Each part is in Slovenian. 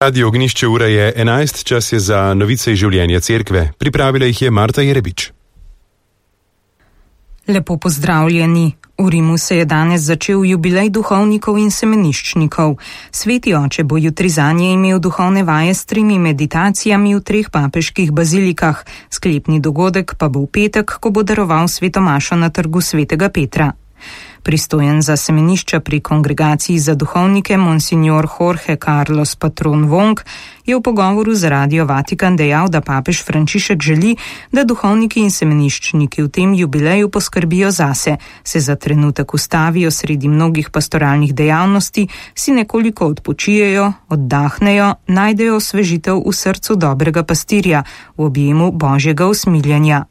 Radio Ognišče, ura je 11, čas je za novice iz življenja cerkve. Pripravila jih je Marta Jerebič. Lepo pozdravljeni. V Rimu se je danes začel jubilej duhovnikov in semeniščnikov. Sveti oče bo jutri zanje imel duhovne vaje s 3 meditacijami v 3 papeških bazilikah. Sklepni dogodek pa bo v petek, ko bo daroval sveto mašo na trgu svetega Petra. Pristojen za semenišča pri Kongregaciji za duhovnike Monsignor Jorge Carlos Patron Wong je v pogovoru z Radio Vatikan dejal, da papež Frančišek želi, da duhovniki in semeniščniki v tem jubileju poskrbijo zase, se za trenutek ustavijo sredi mnogih pastoralnih dejavnosti, si nekoliko odpočijejo, oddahnejo, najdejo osvežitev v srcu dobrega pastirja, v objemu Božjega usmiljenja.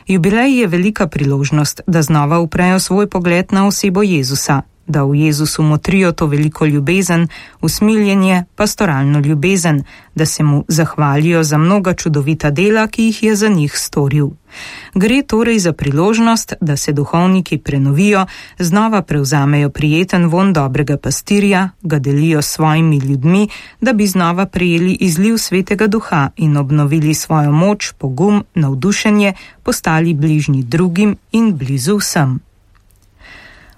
Jubilej je velika priložnost, da znova uprejo svoj pogled na osebo Jezusa, da v Jezusu motrijo to veliko ljubezen, usmiljenje, pastoralno ljubezen, da se mu zahvalijo za mnoga čudovita dela, ki jih je za njih storil. Gre torej za priložnost, da se duhovniki prenovijo, znova prevzamejo prijeten vonj dobrega pastirja, ga delijo s svojimi ljudmi, da bi znova prejeli izliv svetega duha in obnovili svojo moč, pogum, navdušenje, postali bližnji drugim in blizu vsem.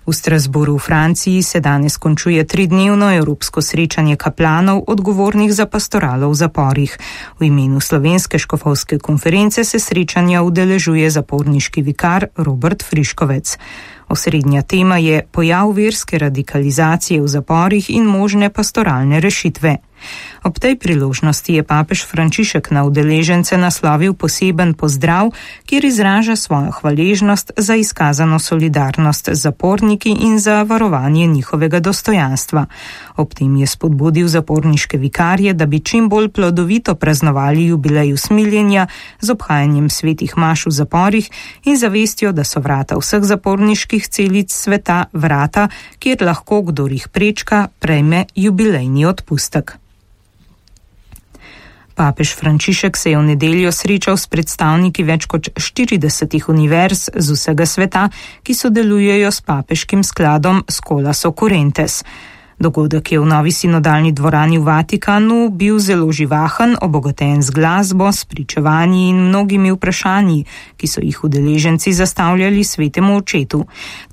V Strasbourgu v Franciji se danes končuje 3-dnevno evropsko srečanje kaplanov, odgovornih za pastoralo v zaporih. V imenu Slovenske škofovske konference se srečanja udeležuje zaporniški vikar Robert Friškovec. Osrednja tema je pojav verske radikalizacije v zaporih in možne pastoralne rešitve. Ob tej priložnosti je papež Frančišek na udeležence naslovil poseben pozdrav, kjer izraža svojo hvaležnost za izkazano solidarnost z zaporniki in za varovanje njihovega dostojanstva. Ob tem je spodbudil zaporniške vikarje, da bi čim bolj plodovito praznovali jubilej usmiljenja z obhajanjem svetih maš v zaporih in zavestjo, da so vrata vseh zaporniških celic sveta vrata, kjer lahko, kdor jih prečka, prejme jubilejni odpustek. Papež Frančišek se je v nedeljo srečal s predstavniki več kot 40 univerz z vsega sveta, ki sodelujejo s papeškim skladom Scholas Occurrentes. Dogodek je v novi sinodalni dvorani v Vatikanu bil zelo živahen, obogaten z glasbo, s pričevanji in mnogimi vprašanji, ki so jih udeleženci zastavljali svetemu očetu.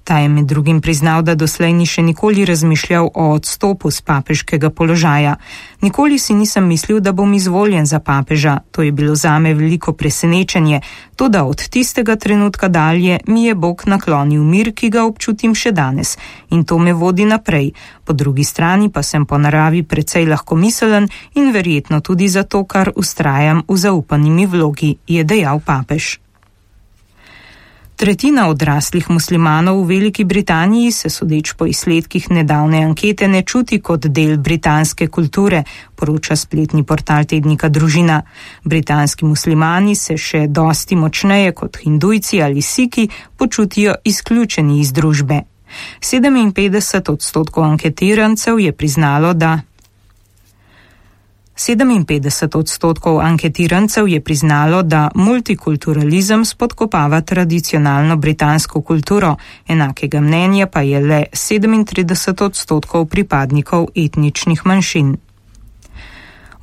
Ta je med drugim priznal, da doslej ni še nikoli razmišljal o odstopu z papeškega položaja. Nikoli si nisem mislil, da bom izvoljen za papeža. To je bilo zame veliko presenečenje. Toda od tistega trenutka dalje mi je Bog naklonil mir, ki ga občutim še danes. In to me vodi naprej. Po drugi strani pa sem po naravi precej lahkomiselen in verjetno tudi zato, ker vztrajam v zaupanimi vlogi, je dejal papež. Tretjina odraslih muslimanov v Veliki Britaniji se, sodeč po izsledkih nedavne ankete, ne čuti kot del britanske kulture, poroča spletni portal tednika Družina. Britanski muslimani se še dosti močneje kot hindujci ali siki počutijo izključeni iz družbe. 57% anketirancev je priznalo, da 57% anketirancev je priznalo, da multikulturalizem spodkopava tradicionalno britansko kulturo, enakega mnenja pa je le 37% pripadnikov etničnih manjšin.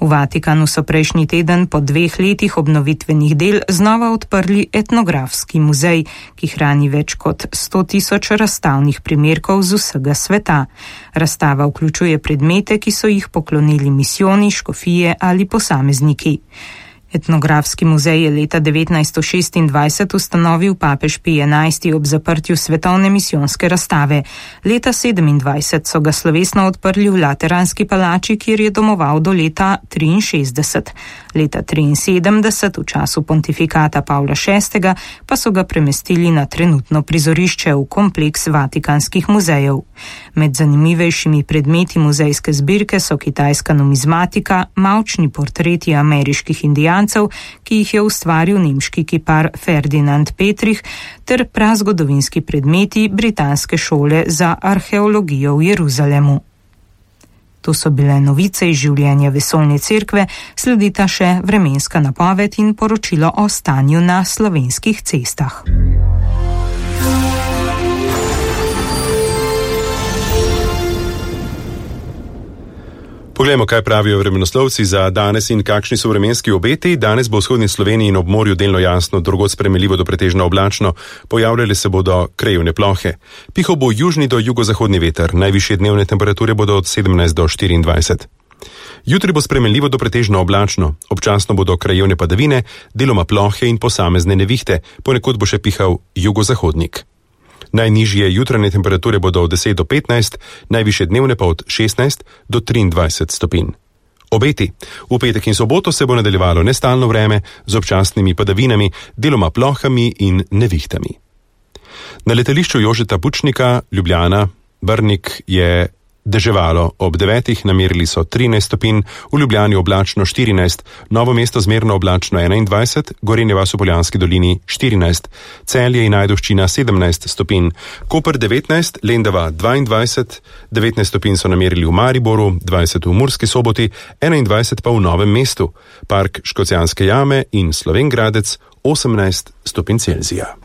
V Vatikanu so prejšnji teden po 2 letih obnovitvenih del znova odprli etnografski muzej, ki hrani več kot 100.000 razstavnih primerkov z vsega sveta. Razstava vključuje predmete, ki so jih poklonili misijoni, škofije ali posamezniki. Etnografski muzej je leta 1926 ustanovil papež Pij XI ob zaprtju svetovne misijonske razstave. Leta 1927 so ga slovesno odprli v Lateranski palači, kjer je domoval do leta 1963. Leta 1973, v času pontifikata Pavla VI, pa so ga premestili na trenutno prizorišče v kompleks vatikanskih muzejev. Med zanimivejšimi predmeti muzejske zbirke so kitajska numizmatika, mavčni portreti ameriških indijancev, ki jih je ustvaril nemški kipar Ferdinand Petrich, ter prazgodovinski predmeti britanske šole za arheologijo v Jeruzalemu. To so bile novice iz življenja vesoljne cerkve, sledita še vremenska napoved in poročilo o stanju na slovenskih cestah. Poglejmo, kaj pravijo vremenoslovci za danes in kakšni so vremenski obeti. Danes bo v vzhodni Sloveniji in ob morju delno jasno, drugod sprejemljivo do pretežno oblačno, pojavljale se bodo krajevne plohe. Pihal bo južni do jugozahodni veter, najvišje dnevne temperature bodo od 17 do 24. Jutri bo sprejemljivo do pretežno oblačno, občasno bodo krajevne padavine, deloma plohe in posamezne nevihte, ponekod bo še pihal jugozahodnik. Najnižje jutranje temperature bodo od 10 do 15, najvišje dnevne pa od 16 do 23 stopinj. Obeti. V petek in soboto se bo nadaljevalo nestalno vreme z občasnimi padavinami, deloma plohami in nevihtami. Na letališču Jožeta Pučnika, Ljubljana, Brnik je deževalo, ob 9 namerili so 13 stopinj, v Ljubljani oblačno 14, Novo mesto zmerno oblačno 21, Gorenje vas v Poljanski dolini 14, Celje in Ajdovščina 17 stopinj, Koper 19, Lendava 22, 19 stopinj so namerili v Mariboru, 20 v Murski Soboti, 21 pa v Novem mestu, Park Škocjanske jame in Slovenj Gradec 18 stopinj Celzija.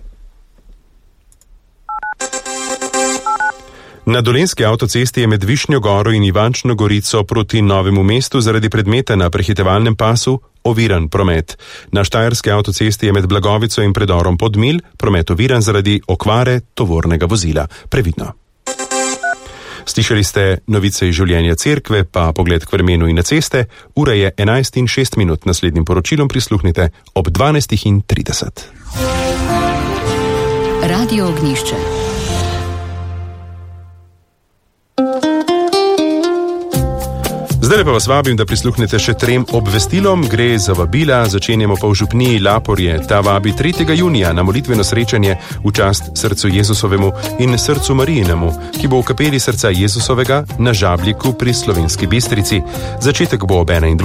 Na Dolenjski avtocesti je med Višnjo Goro in Ivančno Gorico proti Novemu mestu zaradi predmeta na prehitevalnem pasu oviran promet. Na Štajerski avtocesti je med Blagovico in predorom Podmilj promet oviran zaradi okvare tovornega vozila. Previdno. Slišali ste novice iz življenja cerkve, pa pogled k vremenu in na ceste. Ura je 11:06. Naslednjim poročilom prisluhnite ob 12:30. Radio Ognjišče. Zdaj pa vas vabim, da prisluhnete še 3 obvestilom. Gre za vabila, začenjamo pa v župniji Laporje. Ta vabi 3. junija na molitveno srečanje v čast srcu Jezusovemu in srcu Marijinemu, ki bo v kapeli srca Jezusovega na Žabljiku pri Slovenski Bistrici. Začetek bo ob 21.